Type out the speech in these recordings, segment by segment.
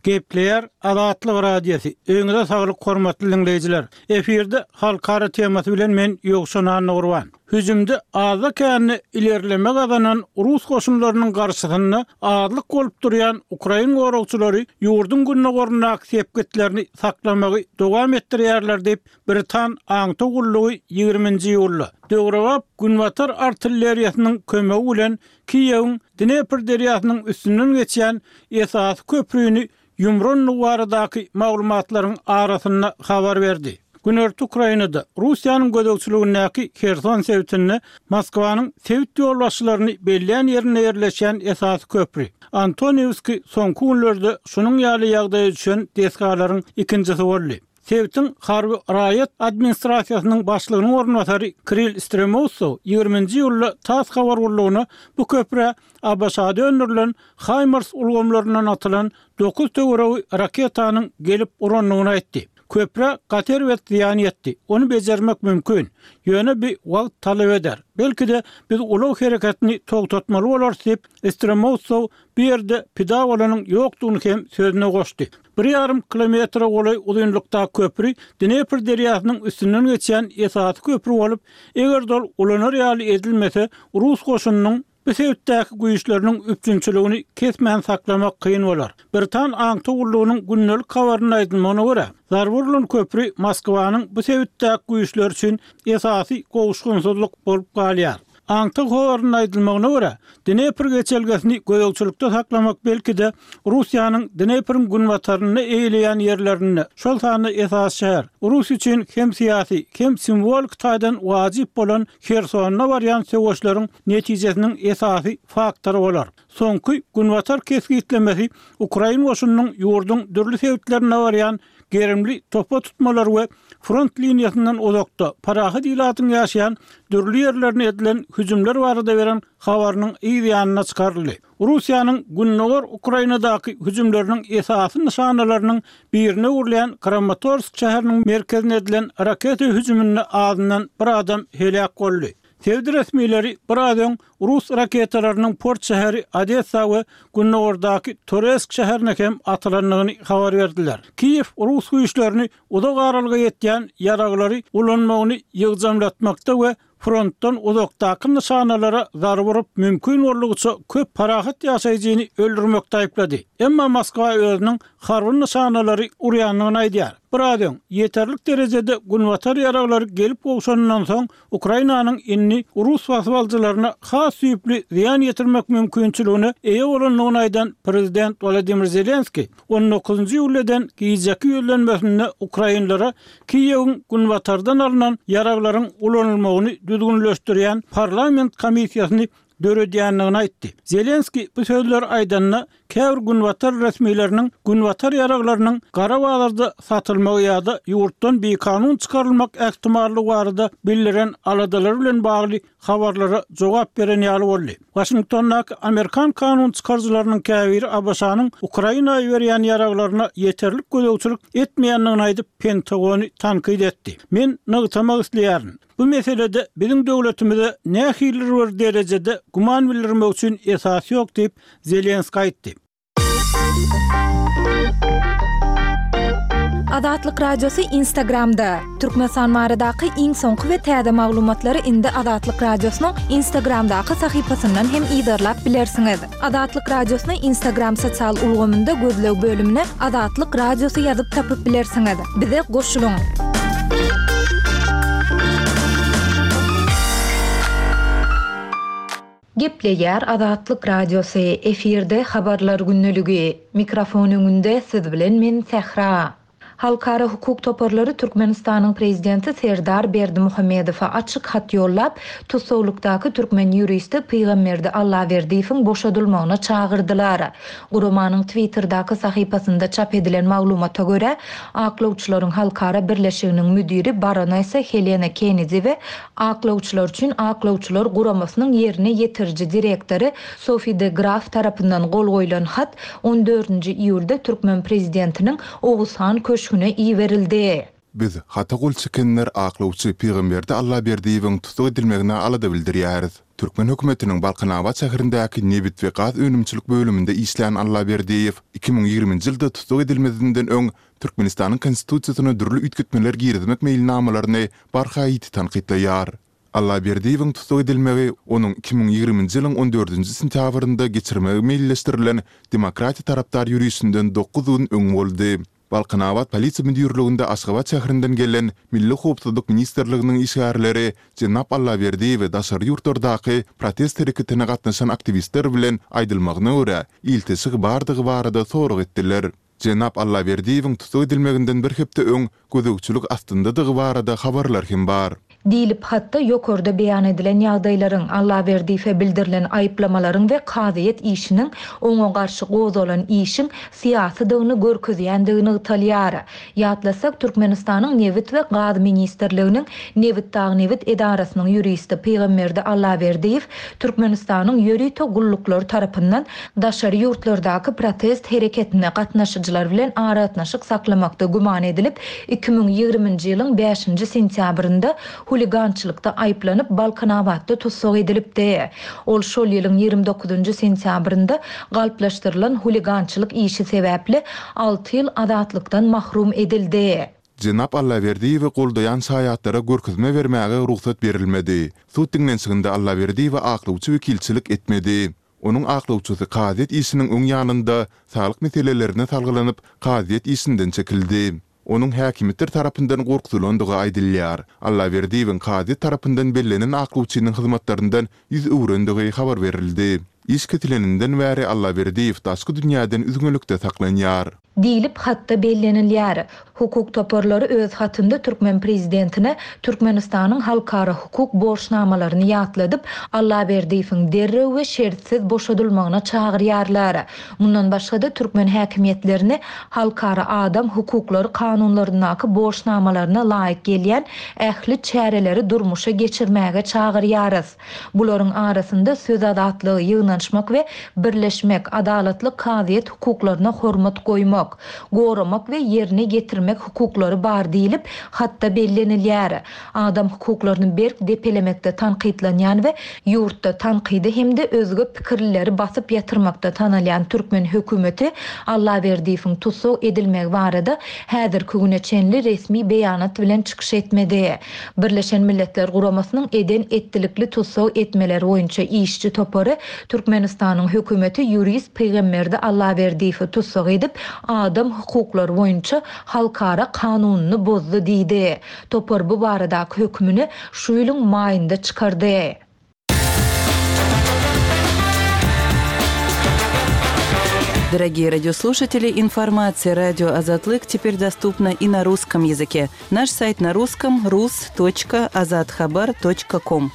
Gepleýär Azatlyk Radiosy, Öýüňize saglyk hormatly diňleýjiler! Efirde Halkara temasy bilen men Ýowşan Annagurban. Hüjümde azda-kände ilerleme gazanan rus goşunlarynyň garşysynda azlyk bolup durýan ukrain goragçylary ýurduň gündogaryndaky sepgitlerini saklamagy dowam etdirýärler diýip, britan aňtaw gullugy ýigriminji iýulda, döwrebap günbatar artilleriýasynyň kömegi bilen Kiýewiň Dnepr derýasynyň üstünden geçýän esasy köprüni ýumrandygy baradaky maglumatlaryň arasynda habar berdi. Günorta Ukrainada, Russiýanyň gözegçiligindäki Herson sebitinde Moskwanyň sebit ýolbaşçylaryny bellän ýerinde ýerleşýän esasy köpri, Antoniwskiý soňky günlerde şunuň ýaly ýagdaýa düşen desgalaryň ikinjisi boldy. Sebitiň harby-raýat administrasiýasynyň başlygynyň orunbasary Kirill Stremousow ýigriminji iýulda tass habar gullugyna bu köprä ABŞ-da öndürilen HIMARS ulgamlaryndan atylan dokuz töweregi raketanyň gelip urandygyny aýtdy. Köprä gaty erbet zyýan ýetdi. Ony bejermek mümkin. Ýöne bi wagt talap eder. Belki-de, biz ulag hereketini togtatmaly bolarys diýip, Stremousow bu ýerde pida bolanyň ýokdugyny hem sözüne goşdy. Bir ýarym kilometre golaý uzynlykdaky köpri Dnepr derýasynyň üstünden geçýän esasy köpri bolup, eger-de ol ulanar ýaly edilmese, rus goşunynyň bu sebitdäki güýçleriniň üpjünçiligini kesmän saklamak kyn bolar. Britan aňtaw gullugynyň gündelik habarynda aýdylmagyna görä, zarba urlan köpri Moskwanyň bu sebitdäki güýçleri üçin esasy gowuşgynsyzlyk bolup galýar. Aňtaw habarynda aýdylmagyna görä, Dnepr geçelgesini gözegçilikde saklamak belki-de, Russiýanyň Dnepriň günbatarynda eýeleýän ýerlerinde, şol sanda esasy şäher, Rus üçin hem syýasy, hem simwolik taýdan wajyp bolan Hersonda barýan söweşleriň netijesiniň esasy faktory bolar. Soňky günbatar kesgitlemesi ukrain goşunynyň ýurduň dürli sebitlerinde barýan gerimli topa tutmalar we front liniýasyndan uzakda, parahat ilatyň ýaşaýan dürli ýerlerine edilen hüjümler barada beren habarynyň yz ýanynda çykaryldy. Russiýanyň gündogar Ukrainadaky hüjümleriniň esasy nyşanalarynyň birine öwrülýän Kramatorsk şäheriniň merkezine edilen raketa hüjüminde azyndan bir adam heläk boldy. Sebit resmileri biraz öň rus raketalarynyň port şäheri Odessa we gündogardaky Toresk şäherine hem atylandygyny habar berdiler. Kiýew rus güýçlerini uzak aralyga ýetýän ýaraglary ulanmagyny ýygjamlatmakda we frontdan uzakdaky nyşanalara zarba urup, mümkin boldugyça köp parahat ýaşaýjyny öldürmekde aýyplady. Emma Moskwa özüniň harby nyşanalary urýandygyny aýdýar. Biraz öň, ýeterlik derejede günbatar ýaraglary gelip gowşanyndan soň, Ukrainanyň indi rus basybalyjylaryna has düýpli zyýan ýetirmek mümkinçiligine eýe bolandygyny aýdan prezident Wolodymyr Zelenskiý, on dokuzynjy iýulda eden gijeki ýüzlenmesinde ukrainlere Kiýewiň günbatardan alnan ýaraglaryň ulanylmagyny düzgünleşdirýän parlament komissiýasyny döredýändigini aýtdy. Zelenskiý bu sözleri aýdanda, käbir günbatar resmileriniň günbatar ýaraglarynyň gara bazarda satylmagy ýa-da ýurtdan bikanun çykarylmak ähtimallygy barada bildiren aladalary bilen bagly habarlara jogap beren ýaly boldy. Waşingtondaky amerikan kanun çykaryjylarynyň käbiri ABŞ-nyň Ukraina iberýän ýaraglaryna ýeterlik gözegçilik etmeýändigini aýdyp, Pentagony tankyt etdi. Men nygtamak isleýärin, Bu meselede biziň döwletimize nähilidir bir derejede güman bildirmek üçin esas ýok diýip, Zelenskiý aýtdy. Azatlyk Radiosy Instagramda, Türkmenistan baradaky iň soňky we täze maglumatlary indi Azatlyk Radiosynyň Instagramdaky sahypasyndan hem yzarlap bilersiňiz. Azatlyk Radiosyny Instagram sosial ulgamynda gözleg bölümine Azatlyk Radiosy ýazyp tapyp bilersiňiz. Bize goşulyň! Gepleýär Azatlyk Radiosy, efirde Habarlar gündeligi. Mikrofon öňünde siz bilen men Sähra. Halkara hukuk toparlary Türkmenistanyň prezidenti Serdar Berdimuhamedowa açyk hat ýollap, tussaglykdaky türkmen ýuristi Pygamberdi Allaberdiýewiň boşadylmagyna çagyrdylar. Guramanyň Twitterdäki sahypasynda çap edilen maglumata görä, Aklawçylaryň halkara birleşiginiň müdiri baronesa Helena Kennedi we Aklawçylar üçin aklawçylar guramasynyň ýerine ýetiriji direktory Sofi de Graf tarapyndan gol goýlan hat on dördünji iýulda türkmen prezidentiniň Oguzhan köşgüne iberildi. Biz, hata gol çekenler aklawçy Pygamberdi Allaberdiýewiň tussag edilmegine alada bildirýäris. Türkmen hökümetiniň Balkanabat şäherindäki nebit we gaz önümçilik bölüminde işlän Allaberdiýew 2020-nji ýylda tussag edilmezinden öň Türkmenistanyň Konstitusiýasyna dürli üýtgetmeler girizmek meýilnamalaryny barha ýiti tankytlaýar. Allaberdiýewiň tussag edilmegi onuň 2020-nji ýylyň on dördünji sentýabrynda geçirmegi meýilleşdirilen demokratiýa tarapdar ýörişinden dokuz gün öň boldy. Balkanabat polisiýa müdirliginde Aşgabat şäherinden gelen Milli howpsuzlyk ministrliginiň işgärleri jenap Allaberdiýewe daşary ýurtlardaky protest hereketine gatnaşan aktiwistler bilen, aýdylmagyna görä, ilteşigi bardygy barada sorag etdiler. Jenap Allaberdiýewiň tussag edilmeginden bir hepde öň gözegçilik astyndadygy barada habarlar hem bar. Diýlip, hatda ýokarda beýan edilen ýagdaýlaryň, Allaberdiýewe bildirilen aýyplamalaryň we kazyýet işiniň oňa garşy gozgalan işiň syýasydygyny görkezýändigi nygtalýar. Ýatlasak, Türkmenistanyň Nebit we gaz ministrliginiň Nebitdagnebit edarasynyň ýuristi Pygamberdi Allaberdiýew Türkmenistanyň ýörite gulluklary tarapyndan daşary ýurtlardaky protest hereketine gatnaşyjylar bilen aragatnaşyk saklamakda güman edilip, 2020-nji ýylyň bäşinji sentýabrynda huligançylykda aýyplanyp, Balkanabatda tussag edilipdi. Ol şol ýylyň 29-njy sentýabrynda galplaşdyrylan huligançylyk işi sebäpli alty ýyl azatlykdan mahrum edildi. Jenap Allaberdiýewi goldaýan şaýatlara görkezme bermäge rugsat berilmedi. Sud diňlenişiginde Allaberdiýewe aklawçy wekilçilik etmedi. Onuň aklawçysy kazyýet işiniň öň ýanynda saglyk meselelerine salgylanyp, kazyýet işinden çekildi. Onuň häkimiýetler tarapyndan gorkuzylandygy aýdylýar. Allaberdiýewiň kazyýet tarapyndan bellenen aklawçynyň hyzmatlaryndan ýüz öwrendigi habar berildi. Iş kesileninden bäri Allaberdiýew daşky dünýäden üzňelikde saklanýar. Diýlip, hatda bellenilýär. Hukuk toparlary öz hatynda türkmen prezidentine Türkmenistanyň halkara hukuk borçnamalaryny ýatladyp, Allaberdiýewiň derrew we şertsiz boşadylmagyna çagyrýarlar. Mundan başga-da, türkmen häkimiýetlerini halkara adam hukuklary kanunlaryndaky borçnamalaryna laýyk gelýän ähli çäreleri durmuşa geçirmäge çagyrýarys. Bularyň arasynda söz azatlygy, ýygnanyşmak we birleşmek, adalatly kazyýet hukuklaryna hormat goýmak, goramak we ýerine ýetirmek hukuklary bar diýlip, hatda bellenilýär. Adam hukuklaryny berk depelemekde tankytlanýan we ýurtda tankydy hem-de özge pikirlileri basyp ýatyrmakda tanalýan türkmen hökümeti Allaberdiýewiň tussag edilmegi barada häzirki güne çenli resmi beýanat bilen çykyş etmedi. Birleşen Milletler Guramasynyň eden-etdilikli tussag etmeler boýunça işçi topary Türkmenistanyň hökümeti ýurist Pygamberdi Allaberdiýewi tussag edip, adam hukuklary boýunça halkara kanunyny bozdy diýdi. Topar bu baradaky hökümini şu ýylyň maýynda çykardy. Дорогие радиослушатели, информация радио Азатлык теперь доступна и на русском языке. Наш сайт на русском rus.azathabar.com.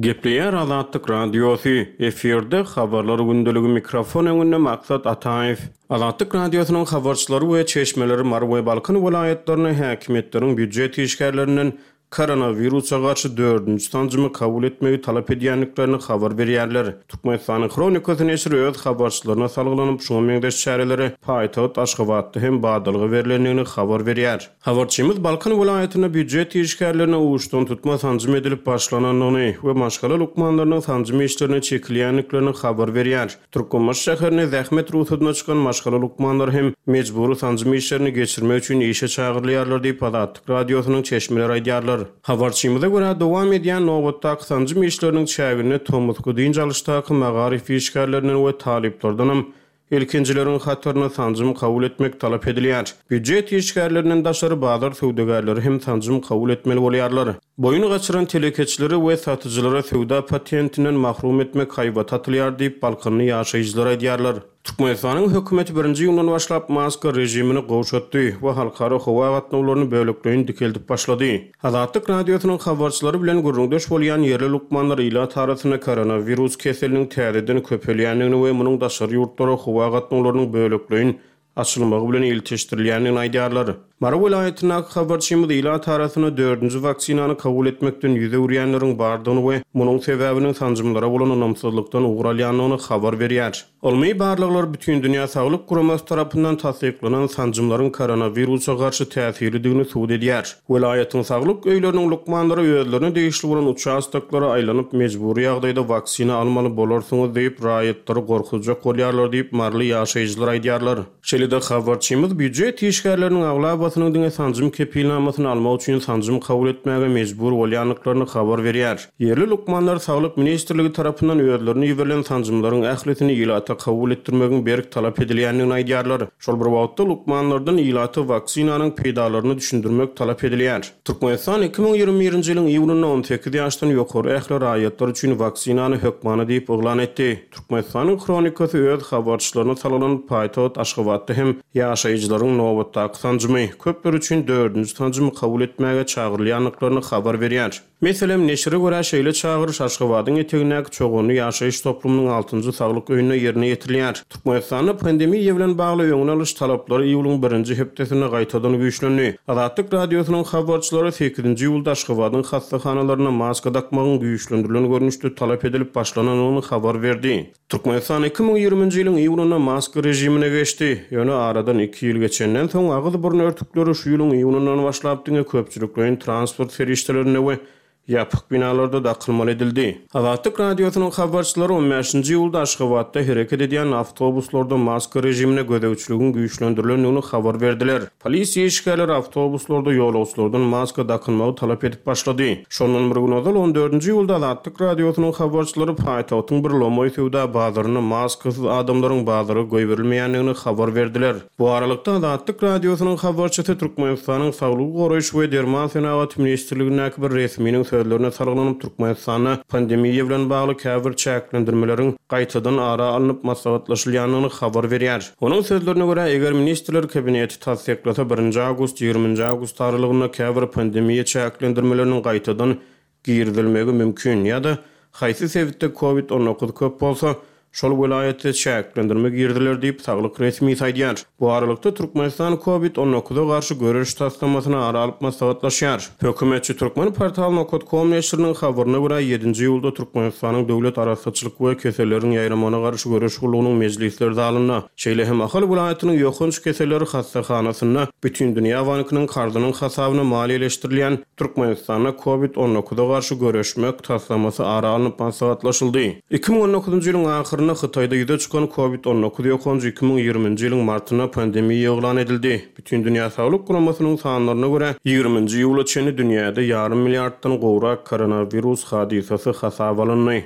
Gepleýär Azatlyk Radiosy, efirde Habarlar gündeligi mikrofon öňünde Maksat Ataýew. Azatlyk Radiosynyň habarçylary we çeşmeleri Mary we Balkan welaýatlarynda häkimiýetleriň býujet işgärlerinden koronawirusa garşy dördünji sanjymy kabul etmegi talap edýändiklerini habar berýärler. Türkmenistanyň Hronikasy neşiri öz habarçylaryna salgylanyp, şuňa meňzeş çärelere paýtagt Aşgabatda hem badalga berlendigini habar berýär. Habarçymyz Balkan welaýatynda býujet işgärlerine uçdantutma sanjym edilip başlanandygyny we maşgala lukmanlarynyň sanjym işlerine çekilýändiklerini habar berýär. Türkmenbaşy şäherinde zähmet rugsadyna çykan maşgala lukmanlary hem mejbury sanjym işlerini geçirmek üçin işe çagyrylýarlar diýip, Azatlyk Radiosynyň çeşmeleri aýdýarlar. Habarçymyza görä, dowam edýän nobatdaky sanjym işleriniň çäginde tomusky dynç alyşdaky magaryf işgärlerinden we talyplardanam Ilkinjileriň hatarynda sanjym kabul etmek talap edilýär. Býujet işgärlerinden daşary bazar söwdagärleri hem sanjym kabul etmeli bolýarlar. Boýun gaçyran telekeçileri we satyjylara söwda patentinden mahrum etmek haýbaty atylýar diýip, balkanly ýaşaýjylar aýdýarlar. Türkmenistanyň hökümeti birinji iýundan başlap maska režimini gowşatdy we halkara howa gatnawlaryny bölekleýin dikeldip başlady. Azatlyk Radiosynyň habarçylary bilen gürrüňdeş bolýan ýerli lukmanlar ilat arasynda koronawirus keseliniň täzeden köpelýändigini we munuň daşary ýurtlara howa gatnawlarynyň bölekleýin açylmagy bilen ilteşdirilýändigini aýdýarlar. Mary welaýatyndaky habarçymyz ilat arasynda dördünji waksinany kabul etmekden ýüz öwürýänleriň bardygyny we munuň sebäbiniň sanjymlara bolan ynamsyzlykdan ugur alýandygyny habar berýär. Ylmy barlaglar Bütindünýä Saglyk Guramasy tarapyndan tassyklanan sanjymlaryň koronawirusa garşy täsirlidigini subut edýär. Welaýatyň saglyk öýleriniň lukmanlary özlerine degişli bolan uçastoklara aýlanyp, mejbury ýagdaýda waksina almaly bolarsyňyz diýip, raýatlary gorkuzjak bolýarlar diýip, maryly ýaşaýjylar aýdýarlar. Şeýle-de habarçymyz býujet işgärleriniň aglabasynyň diňe sanjym kepilnamasyny almak üçin sanjym kabul etmäge mejbur bolýandyklaryny habar berýär. Ýerli lukmanlar Saglyk ministrligi tarapyndan özlerine iberilen sanjymlaryň ählisini ilata kabul etdirmegiň berk talap edilýändigini aýdýarlar. Şol bir wagtda, lukmanlardan ilata waksinanyň peýdalaryny düşündirmek talap edilýär. Türkmenistan 2021-nji ýylyň iýunynda 18 ýaşdan ýokary ähli raýatlar üçin waksinany hökmany diýip yglan etdi. Türkmenistanyň Hronikasy öz habarçylaryna salgylanyp, paýtagt Aşgabatda hem ýaşaýjylaryň nobatdaky sanjymy, köpler üçin dördünji sanjymy kabul etmäge çagyrylýandyklaryny habar berýär. Meselem, neşire görä, şeýle çagyryş Aşgabadyň etegindäki Çoganly ýaşaýyş toplumynyň altynjy saglyk öýünde ýerine ýetirilýär. Türkmenistanda pandemiýa bilen bagly öňüni alyş talaplary iýulyň birinji hepdesinde gaýtadan güýçlendi. Azatlyk Radiosynyň habarçylary sekizinji iýulda Aşgabadyň hassahanalarynda maska dakmagyň güýçlendirilen görnüşde talap edilip başlanandygyny habar berdi. Türkmenistan 2020-nji ýylyň iýunynda maska režimine geçdi. Ýöne aradan iki ýyl geçenden soň, agyz-burun örtükleri şu ýylyň iýunyndan başlap diňe köpçülikleýin transport serişdelerinde we ýapyk binalarda dakylmaly edildi. Azatlyk Radiosynyň habarçylary on bäşinji iýulda Aşgabatda hereket edýän awtobuslarda maska režimine gözegçiligiň güýçlendirilendigini habar berdiler. Polisiýa işgärleri awtobuslarda ýolagçylardan maska dakynmagy talap edip başlady. Şondan bir gün ozal, on dördünji iýulda Azatlyk Radiosynyň habarçylary paýtagtyň bir lomaý söwda bazarynda maskasyz adamlaryň bazara goýberilmeýändigini habar berdiler. Bu aralykda, Azatlyk Radiosynyň habarçysy Türkmenistanyň Saglygy goraýyş we derman senagaty ministrligindäki bir resminiň sözlerine salgylanyp, Türkmenistanda pandemiýa bilen bagly käbir çäklendirmeleriň gaýtadan ara alnyp maslahatlaşylýandygyny habar berýär. Onuň sözlerine görä, eger Ministrler Kabineti tassyklasa, birinji awgust, ýigriminji awgust aralygynda käbir pandemiýa çäklendirmeleriniň gaýtadan girizilmegi mümkin ýa-da haýsy sebitde covid 19 köp bolsa, şol welaýatda çäklendirme giriziler diýip, saglyk resmisi aýdýar. Bu aralykda, Türkmenistan covid 19-a garşy göreş taslamasyny ara alyp maslahatlaşýar. Hökümetçi Turkmenportal nokat kom neşiriniň habaryna görä, ýedinji iýulda Türkmenistanyň Döwlet arassaçylyk we keselleriň ýaýramagyna garşy göreş gullugynyň mejlisler zalynda, şeýle hem Ahal welaýatynyň ýokanç keseller hassahanasynda Bütindünýä bankynyň karzynyň hasabyna maliýeleşdirilýän Türkmenistanda Covid 19-a garşy göreşmek taslamasy ara alnyp maslahatlaşyldy. 2019-njy ýylyň ahyrynda Hytaýda ýüze çykan Covid 19 ýokanjy 2020-nji ýylyň martynda pandemiýa yglan edildi. Bütindünýä Saglyk Guramasynyň sanlaryna görä, ýigriminji iýula çenli dünýäde ýarym milliarddan gowrak koronawirus hadysasy hasaba alyndy.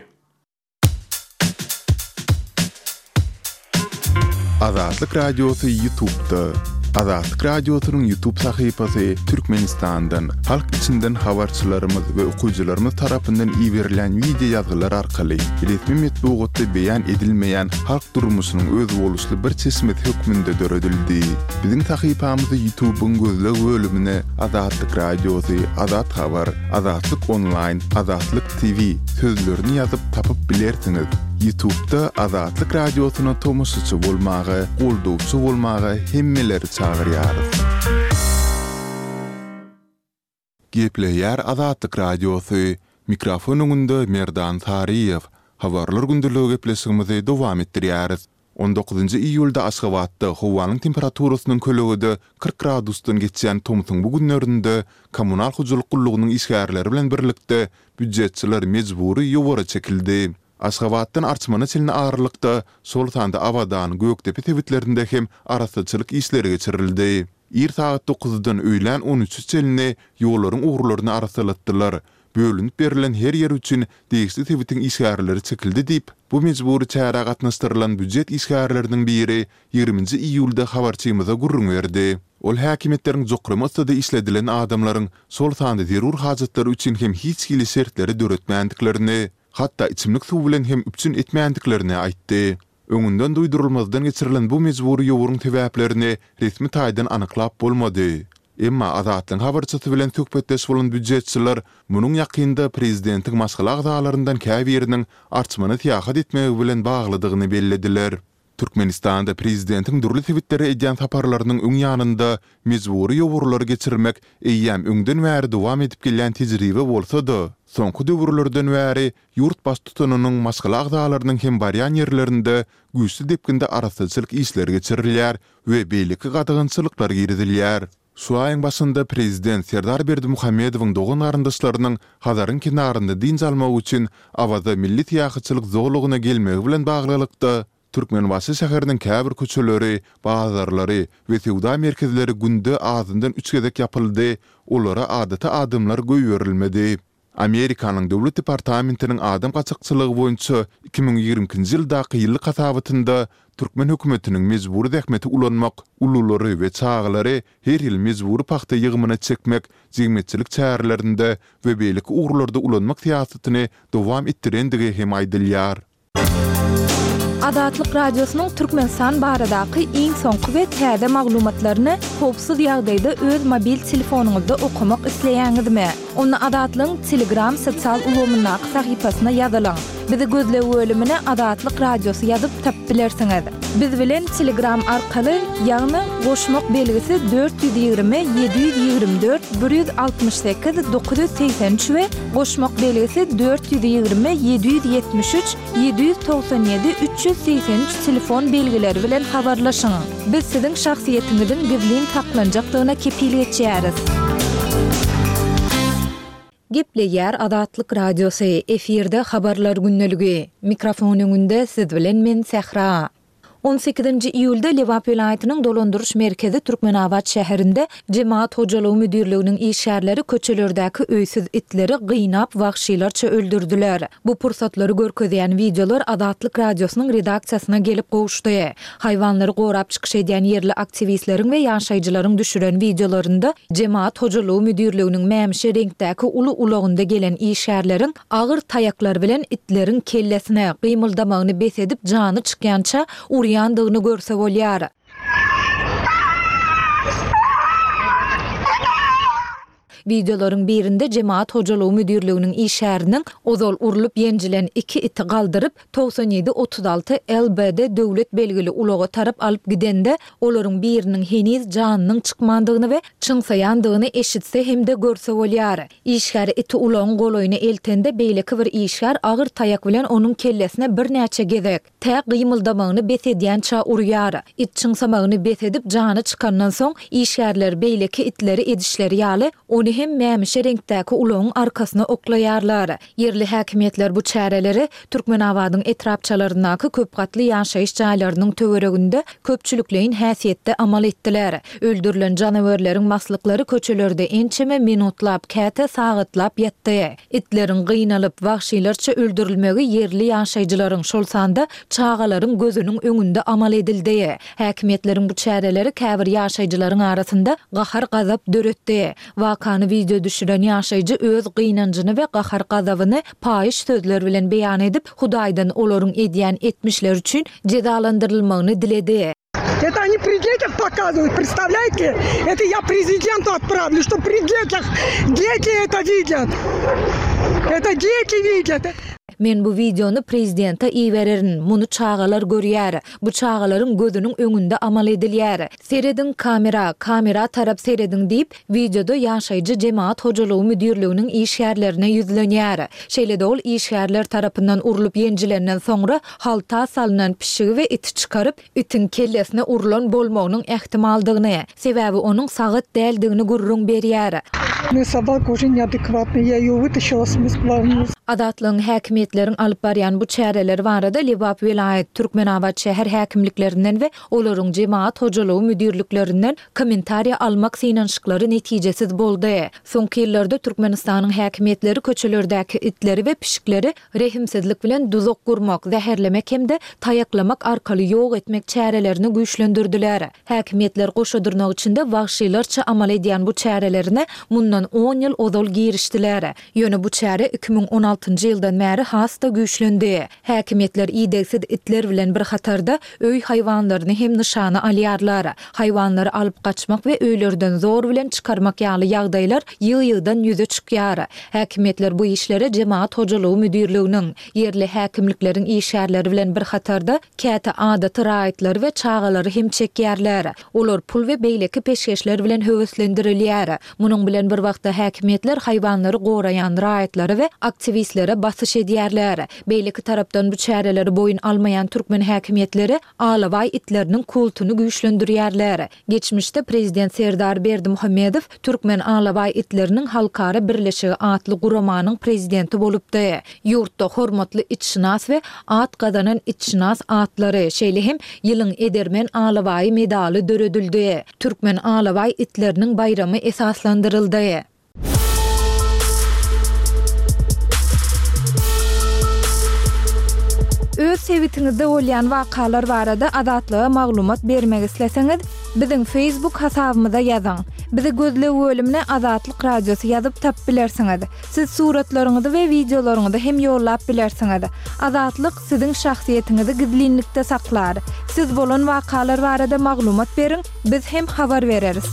Azatlyk Radiosy Ýutubda. Azatlyk Radiosynyň Ýutub sahypasy Türkmenistandan, halk içinden habarçylarymyz we okyjylarymyz tarapyndan iberilýän wideo ýazgylar arkaly resmi metbugatda beýan edilmeýän halk durmuşynyň özboluşly bir çeşmesi hökmünde döredildi. Biziň sahypamyzy Ýutubyň gözleg bölümine Azatlyk Radiosy, Azat Habar, Azatlyk Onlaýn, Azatlyk TV sözlerini ýazyp tapyp bilersiňiz. Ýutubda Azatlyk Radiosyna tomaşaçy bolmaga, goldawçy bolmaga hemmeleri çagyrýarys. Gepleýär Azatlyk Radiosy, Mikrofon öňünde Merdan Saryýew. Habarlar gündeligi gepleşigimizi dowam etdirýäris. On dokuzynjy iýulda Aşgabatda howanyň temperaturasynyň kölegede 40 gradusdan geçýän tomsuň bu günlerinde kommunal hojalyk gullugynyň işgärleri bilen birlikde býujetçiler mejbury ýowara çekildi. Aşgabatdan Arçmana çenli aralykda, şol sanda Abadan, Gökdepe sebitlerinde hem arassaçylyk işleri geçirildi. Ir sagat dokuzdan öýlän on üçe çenli ýollaryň ugurlaryny arassalatdylar. Bölünip berlen her ýer üçin degişli sebitiň işgärleri çekildi diýip, bu mejbury çärä gatnaşdyrylan býujet işgärleriniň biri ýigriminji iýulda habarçymyza gürrüň berdi. Ol häkimiýetleriň jokrama yssyda işledilen adamlaryň, şol sanda zerur hajatlary üçin hem hiç hili şertleri döretmändiklerini, hatda içimlik suw bilen hem üpjün etmändiklerini aýtdy. Öňünden duýdurylmazdan geçirilen bu mejbury ýowuryň sebäplerini resmi taýdan anyklap bolmady. Emma Azatlygyň habarçysy bilen söhbetdeş bolan býujetçiler munuň ýakynda prezidentiň maşgala agzalaryndan käbiriniň Arçmana syýahat etmegi bilen baglydygyny bellediler. Türkmenistanda prezidentiň dürli sebitlere edýän saparlarynyň öň ýanynda mejbury ýowurlary geçirmek eýýäm öňden bäri dowam edip gelýän tejribe bolsa-da, soňky döwürlerden bäri ýurt baştutanynyň maşgala agzalarynyň hem barýan ýerlerinde güýçli depginde arassaçylyk işleri geçirilýär we beýleki gadagançylyklar girizilýär. Şu aýyň başynda prezident Serdar Berdimuhamedowyň dogan-garyndaşlarynyň Hazaryň kenarynda dynç almak üçin Awaza milli syýahatçylyk zolagyna gelmegi bilen baglylykda, Türkmenbaşy şäheriniň käbir köçeleri, bazarlary we söwda merkezleri günde azyndan üç gezek ýapyldy, olara adaty adamlar goýberilmedi. Amerikanyň Döwlet departamentiniň adam gaçakçylygy boýunça 2022-nji ýyldaky ýyllyk hasabatynda türkmen hökümetiniň mejbury zähmeti ulanmak, ululary we çagalary her ýyl mejbury pagta ýygymyna çekmek, jemgyýetçilik çärelerinde we beýleki ugurlarda ulanmak syýasatyny dowam etdirendigi hem aýdylýar. Azatlyk Radiosynyň Türkmenistan baradaky iň soňky we täze maglumatlaryny howpsuz ýagdaýda öz mobil telefonyňyzda okamak isleýäňizmi? Onda Azatlygyň Telegram sosial ulgamyndaky sahypasyna ýazylyň. Bizi gözleg bölümine Azatlyk Radiosy ýazyp tapyp bilersiňiz. Biz bilen Telegram arkaly, ýagny goşmak belgisi 420 724 168 983 we Goşmak belgisi 420 773 797 383 telefon belgileri bilen habarlaşyň. Biz siziň şahsyýetiňiziň gizlin saklanjakdygyna kepil geçýäris. Gepleýär Azatlyk Radiosy, efirde Habarlar gündeligi. Mikrofon öňünde siz bilen men Sähra. On sekizinji iýulda Lebap welaýatynyň dolandyryş merkezi Türkmenabat şäherinde Jemagat hojalygy müdirliginiň işgärleri köçelerdäki öýsüz itleri gynap wagşylarça öldürdiler. Bu pursatlary görkezýän wideolar Azatlyk Radiosynyň redaksiýasyna gelip gowuşdy. Haýwanlary gorap çykyş edýän ýerli aktiwistleriň we ýaşaýjylaryň düşüren wideolarynda Jemagat hojalygy müdirliginiň mämişi reňkdäki uly ulagynda gelen işgärleriň Agyr taýaklar bilen itleriň kellesine, gymyldamagyny bes edip jany çykýança urýandygyny görse bolýar. Wideolaryň birinde jemagat hojalygy müdirliginiň işgäriniň ozal urlup-ýenjilen iki iti galdyryp, 97 36 LBD döwlet belgili ulaga tarap alyp gidende, olaryň biriniň heniz janynyň çykmandygyny we çyňsaýandygyny eşitse hem-de görse bolýar. Işgär iti ulagyň golaýyna eltende, beýleki bir işgär agyr taýak bilen onuň kellesine birnäçe gezek, tä gymyldamagyny bes edýänçä urýar. It çyňsamagyny bes edip, jany çykandan soň, işgärler beýleki itleri edişleri ýaly, ony hem mämişi reňkdäki ulagyň arkasyna oklaýarlar. Ýerli häkimiýetler bu çäreleri Türkmenabadyň etrapçalaryndaky köp gatly ýaşaýyş jaýlarynyň töwereginde köpçülikleýin häsiýetde amal etdiler. Öldürilen janawerleriň maslyklary köçelerde ençeme minutlap, käte sagatlap ýatdy. Itleriň gynalyp, wagşylarça öldürilmegi ýerli ýaşaýjylaryň, şol sanda çagalaryň gözüniň öňünde amal edildi. Häkimiýetleriň bu çäreleri käbir ýaşaýjylaryň arasynda gahar-gazap döretdi. Wakany wideo düşüren ýaşaýjy öz gynanjyny we gahar-gazabyny paýyş sözler bilen beýan edip, Hudaýdan olaryň edýän etmişleri üçin jezalandyrylmagyny diledi. Это они при детях показывают, представляете? Это я президенту отправлю, что при детях дети это видят. Это дети видят. Men bu wideony prezidente ibererin, muny çagalar görýär. Bu çagalaryň gözüniň öňünde amal edilýär. Serediň kamera, kamera tarap serediň diýip, wideoda ýaşaýjy jemagat hojalygy müdirliginiň işgärlerine ýüzlenýär. Şeýle-de ol işgärler tarapyndan urlup-ýenjilenden soňra halta salnan pişigi we iti çykaryp, itiň kellesine urlan bolmagynyň ähtimaldygyny, sebäbi onuň sagat däldigini gürrüň berýär. Mne sobaka уже neadekvatna, ya eyo vytaşila s Azatlygyň häkimiýetleriň alyp barýan bu çäreleri barada Lebap welaýat, Türkmenabat şäher häkimliklerinden we olaryň jemagat hojalygy müdirliklerinden kommentariýa almak synanyşyklary netijesiz boldy. Soňky ýyllarda Türkmenistanyň häkimiýetleri köçelerdäki itleri we pişikleri rehimsizlik bilen duzak gurmak, zäherlemek hem-de taýaklamak arkaly ýok etmek çärelerini güýçlendirdiler. Häkimiýetler goşa dyrnak içinde wagşylarça amal edýän bu çärelerine mundan on ýyl ozal girişdiler. Ýöne bu çäre 2016. 2016-njy ýyldan bäri has-da güýçlendi. Häkimiýetler idegsiz itler bilen bir hatarda, öý haýwanlaryny hem nyşana alýarlar. Haýwanlary alyp gaçmak we öýlerden zor bilen çykarmak ýaly ýagdaýlar ýygy-ýygydan ýüze çykýar. Häkimiýetler bu işlere Jemagat hojalygy müdirliginiň, ýerli häkimlikleriň işgärleri bilen bir hatarda, käte adaty raýatlary we çagalary hem çekýärler. Olar pul we beýleki peşgeşler bilen höweslendirilýär. Munuň bilen bir wagtda häkimiýetler haýwanlary goraýan raýatlara we aktiwistlere basyş edýärler. Beýleki tarapdan bu çäreleri boýun almaýan türkmen häkimiýetleri alabaý itleriniň kultuny güýçlendirýärler. Geçmişde prezident Serdar Berdimuhamedow Türkmen alabaý itleriniň halkara birleşigi atly guramanyň prezidenti bolupdy. Ýurtda hormatly itşynas we at gazanan itşynas atlary, şeýle hem Ýylyň edermen alabaýy medaly döredildi. Türkmen alabaý itleriniň baýramy esaslandyryldy. Öz sebitiňizde bolýan wakalar barada Azatlyga maglumat bermek isleseňiz, biziň Facebook hasabymyza ýazyň. Bizi gözleg bölümine Azatlyk Radiosy ýazyp tapyp bilersiňiz. Siz suratlaryňyzy we wideolaryňyzy hem ýollap bilersiňiz. Azatlyk siziň şahsyýetiňizi gizlinlikde saklar. Siz bolan wakalar barada maglumat beriň, biz hem habar bereris.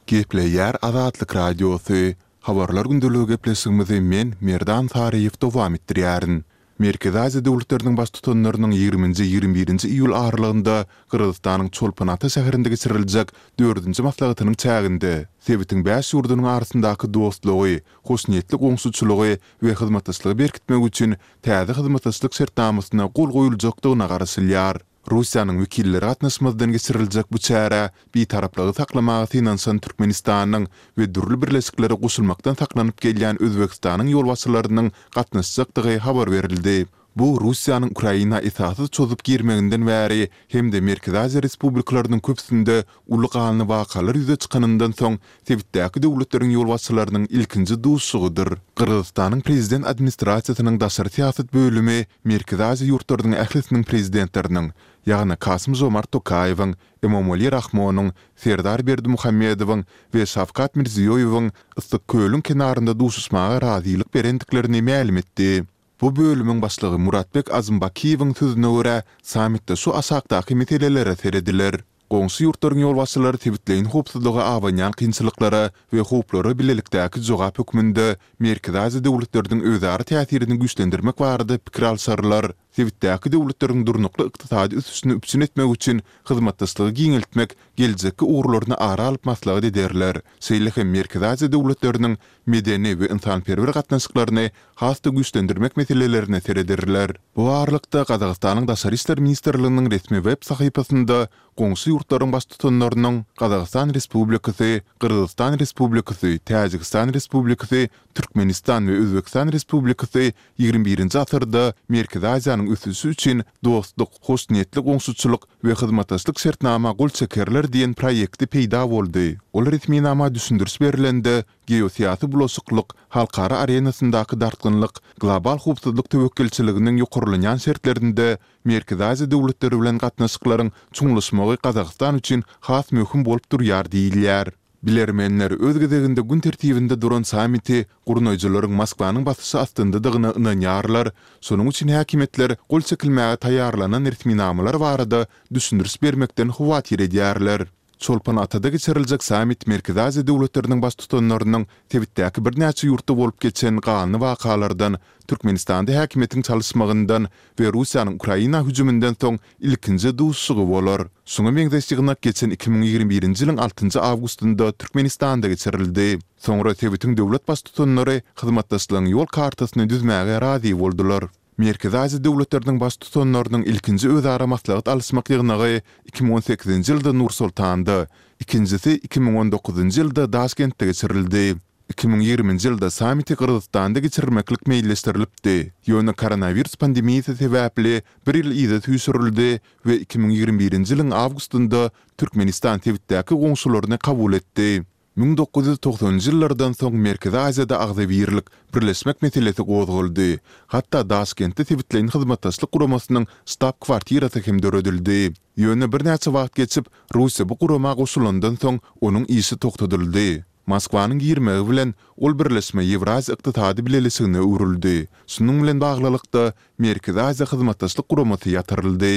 Gepleýär Azatlyk Radiosy, Habarlar gündeligi gepleşigimizi men, Merdan Saryýew dowam etdirýärin. Merkezi Aziýa döwletleriniň Baştutanlarynyň ýigriminji, 21-nji iýul aralygynda Gyrgyzystanyň Çolpon-Ata şäherinde geçiriljek dördünji maslahatynyň çäginde sebitiň bäş ýurdunyň arasyndaky dostlugy, hoşniýetli goňşuçylygy we hyzmatdaşlygy berkitmek üçin täze hyzmatdaşlyk şertnamasyna gol goýuljakdygyna garaşylýar. Russiýanyň wekilleri gatnaşmazdan geçiriljek bu çärä bitaraplygy saklamaga synanyşan Türkmenistanyň we dürli birleşiklere goşulmakdan saklanyp gelýän Özbegistanyň ýolbaşçylarynyň gatnaşjakdygy habar berildi. Bu Russiýanyň Ukraina esassyz çozup girmeginden bäri hem-de Merkezi Aziýa respublikalarynyň köpüsinde uly ganly wakalar ýüze çykanyndan soň sebitdäki döwletleriň ýolbaşçylarynyň ilkinji duşuşygydyr. Gyrgyzystanyň Prezident administrasiýasynyň daşary syýasat bölümi Merkezi Aziýa ýurtlarynyň ählisiniň prezidentleriniň, ýagny Kasym-Žomart Tokaýewiň, Emomali Rahmonyň, Serdar Berdimuhamedowyň we Şawkat Mirziýoýewiň Yssyk-Kölüň kenarynda duşuşmaga razylyk berendiklerini mälim etdi. Bu bölümiň başlygy Muratbek Azymbakiýewiň sözüne görä, sammitde şu aşakdaky meselelere serediler. Goňşy ýurtlaryň ýolbaşçylary sebitleýin howpsuzlyga abanýan kynçylyklara we howplara bilelikdäki jogap hökmünde Merkezi Aziýa döwletleriniň özara täsirini güýçlendirmek barada pikir alşarlar, sebitdäki döwletleriň durnukly ykdysady ösüşini üpjün etmek üçin hyzmatdaşlygy giňeltmek geljekki ugurlaryny ara alyp maslahat ederler, şeýle hem Merkezi Aziýa döwletleriniň medeni we ynsanperwer gatnaşyklaryny has-da güýçlendirmek meselelerine serederler. Bu aralykda, Gazagystanyň Daşary işler ministrliginiň resmi web sahypasynda goňşy ýurtlaryň baştutanlarynyň Gazagystan Respublikasy, Gyrgyzystan Respublikasy, Täjigistan Respublikasy, Türkmenistan we Özbegistan Respublikasy ýigrimi birinji asyrda Merkezi Aziýanyň ösüşi üçin dostluk, hoşniýetli goňşuçylyk we hyzmatdaşlyk şertnama gol çekerler diýen proýekti peýda boldy. Ol resminama düşündiriş berlende, geosyýasy bulaşyklyk, halkara arenasyndaky dartgynlyk, global howpsuzlyk töwekgelçiliginiň ýokarlanýan şertlerinde Merkezi Aziýa döwletleri bilen gatnaşyklaryň çuňlaşmagy Gazagystan üçin has möhüm bolup durýar diýilýär. Bilermenler öz gezeginde gün tertibinde duran sammiti gurnaýjylaryň Moskwanyň basyşy astyndadygyna ynanýarlar, şonuň üçin häkimiýetler gol çekilmäge taýýarlanan resminamalar barada düşündiriş bermekden howatyr edýärler. Çolpon-Atada geçiriljek sammit Merkezi Aziýa döwletleriniň baştutanlarynyň sebitdäki birnäçe ýurtda bolup geçen ganly wakalardan, Türkmenistanda häkimiýetiň çalyşmagyndan we Russiýanyň Ukraina hüjüminden soň ilkinji duşuşygy bolar. Şuňa meňzeş ýygnak geçen 2021-nji ýylyň altynjy awgustynda Türkmenistanda geçirildi. Soňra sebitiň döwlet Baştutanlary hyzmatdaşlygyň ýol kartasyny düzmäge razy boldular. Merkezi Aziýa döwletleriniň Baştutanlarynyň ilkinji özara maslahat alyşmak ýygnagy 2018-nji ýylda Nur-Sultanda, ikinjisi 2019-njy ýylda Daşkentde geçirildi. 2020-nji ýylda sammiti Gyrgyzystanda geçirmeklik meýilleşdirilipdi, ýöne koronawirus pandemiýasy sebäpli bir ýyl yza süýşürildi we 2021-nji ýylyň awgustynda Türkmenistan sebitdäki goňşularyny kabul etdi. 1990-njy ýyllardan soň Merkezi Aziýada agzybirlik, birleşmek meselesi gozgaldy. Hatda Daşkentde Sebitleýin Hyzmatdaşlyk Guramasynyň ştab-kwartirasy hem döredildi. Ýöne birnäçe wagt geçip, Russiýa bu gurama goşulandan soň onuň işi togtadyldy. Moskwanyň girmegi bilen ol birleşme Ýewraziýa Ykdysady Bileleşigine öwrüldi. Şunuň bilen baglylykda, Merkezi Aziýa Hyzmatdaşlyk Guramasy ýatyryldy.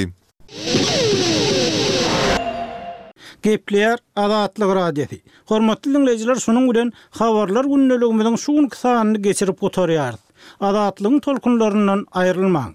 Gepleýär Azatlyk Radiosy. Hormatly diňleýjiler şunuň bilen Habarlar gündeligimiziň şu günki sanyny geçirip gutarýarys. Azatlygyň tolkunlaryndan aýrylmaň.